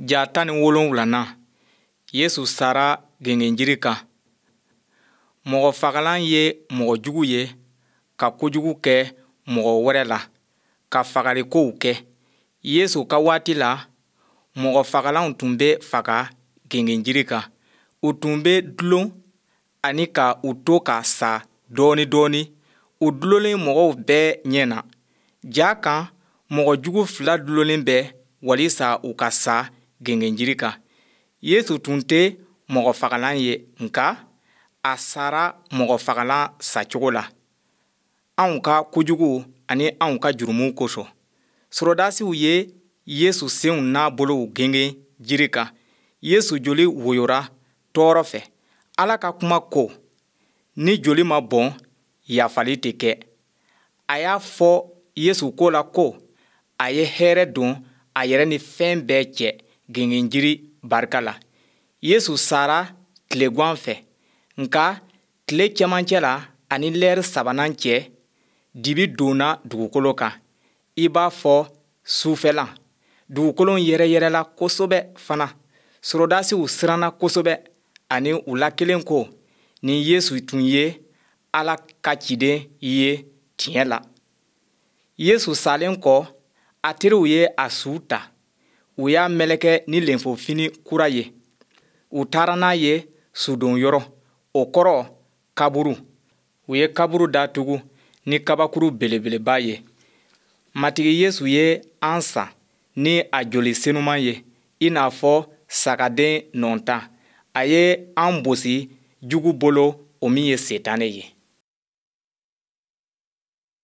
Ja 17nan, Yesu sara gengenjiri kan. Mɔgɔfagalan ye mɔgɔ jugu ye ka kojugu kɛ mɔgɔ wɛrɛ la, ka fagalikow kɛ. Yesu ka waati la, mɔgɔfagalanw tun bɛ faga gengenjiri kan. U tun bɛ dulon ani ka u to ka sa dɔɔnin dɔɔnin, u dulonlen mɔgɔw bɛɛ ɲɛ na. Ja kan, mɔgɔ jugu fila dulonlen bɛ walisa u ka sa gengenjiri kan. Yesu tun tɛ mɔgɔfagalan ye, nka a sara mɔgɔfagalan sacogo la, anw ka kojuguw ani anw ka jurumuw kosɔn. Sɔrɔdasiw ye Yesu senw n'a bolow gengen jiri kan. Yesu joli woyora tɔɔrɔ fɛ. Ala ka kuma ko, ni joli ma bɔn, yafali tɛ kɛ. A y'a fɔ Yesu ko la ko a ye hɛrɛ don a yɛrɛ ni fɛn bɛɛ cɛ gengenjiri barika la. Yesu sara tilegwan fɛ, nka tile cɛmancɛ la ani lɛri sabanan cɛ, dibi donna dugukolo kan, i b'a fɔ sufɛla. Dugukolo yɛrɛyɛrɛla kosɛbɛ fana. Sɔrɔdasiw siranna kosɛbɛ ani u la kelen ko, nin Yesu tun ye Ala ka ciden ye tiɲɛ la. Yesu salen kɔ, a teriw ye a su ta. U y'a meleke ni lenfofini kura ye. U taara n'a ye sudonyɔrɔ, o kɔrɔ kaburu. U ye kaburu datugu ni kabakuru belebeleba ye. Matigi Yesu ye an san ni a joli senuman ye i n'a fɔ sagaden nɔntan. A ye an bosi jugu bolo, o min ye Sitanɛ ye.